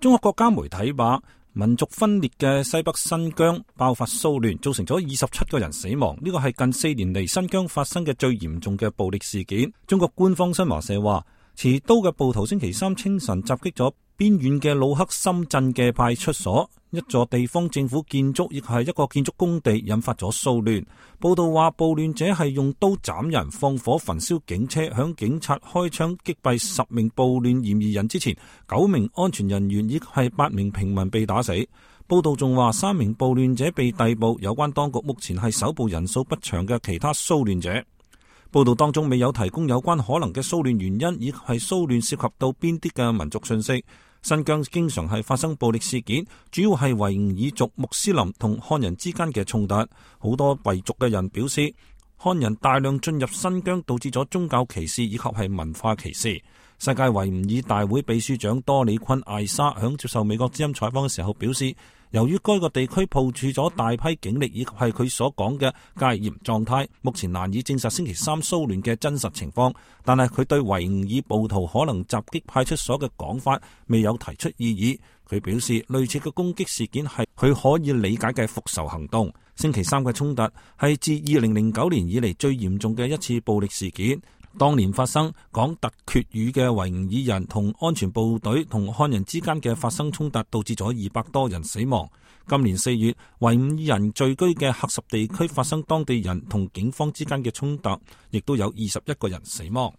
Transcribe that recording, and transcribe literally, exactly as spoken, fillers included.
中國國家媒體話，民族分裂嘅西北新疆爆發騷亂，造成咗二十七個人死亡，呢個係近四年嚟新疆發生嘅最嚴重嘅暴力事件。中國官方新華社話，持刀嘅暴徒星期三清晨襲擊咗邊遠嘅魯克森鎮嘅派出所，一座地方政府建築亦係一個建築工地，引發咗騷亂。報道話，暴亂者係用刀斬人、放火焚燒警車，向警察開槍擊斃十名暴亂嫌疑人之前，九名安全人員亦係八名平民被打死。報道仲話，三名暴亂者被逮捕，有關當局目前係搜捕人數不詳嘅其他騷亂者。報道當中未有提供有關可能嘅騷亂原因，以及係騷亂涉及到邊啲嘅民族信息。新疆經常係發生暴力事件，主要係維吾爾族、穆斯林同漢人之間嘅衝突。好多維族嘅人表示，漢人大量進入新疆，導致咗宗教歧視以及係文化歧視。世界維吾爾大會秘書長多里坤艾沙響接受美國之音採訪嘅時候表示，由於該個地區部署咗大批警力，以及係佢所講嘅戒嚴狀態，目前難以證實星期三騷亂嘅真實情況。但係佢對維吾爾暴徒可能襲擊派出所嘅講法未有提出異議。佢表示，類似嘅攻擊事件係佢可以理解嘅復仇行動。星期三嘅衝突係自二零零九年以嚟最嚴重嘅一次暴力事件。當年發生講突厥語嘅維吾爾人同安全部隊同漢人之間嘅發生衝突，導致咗二百多人死亡。今年四月，維吾爾人聚居嘅喀什地區發生當地人同警方之間嘅衝突，亦都有二十一個人死亡。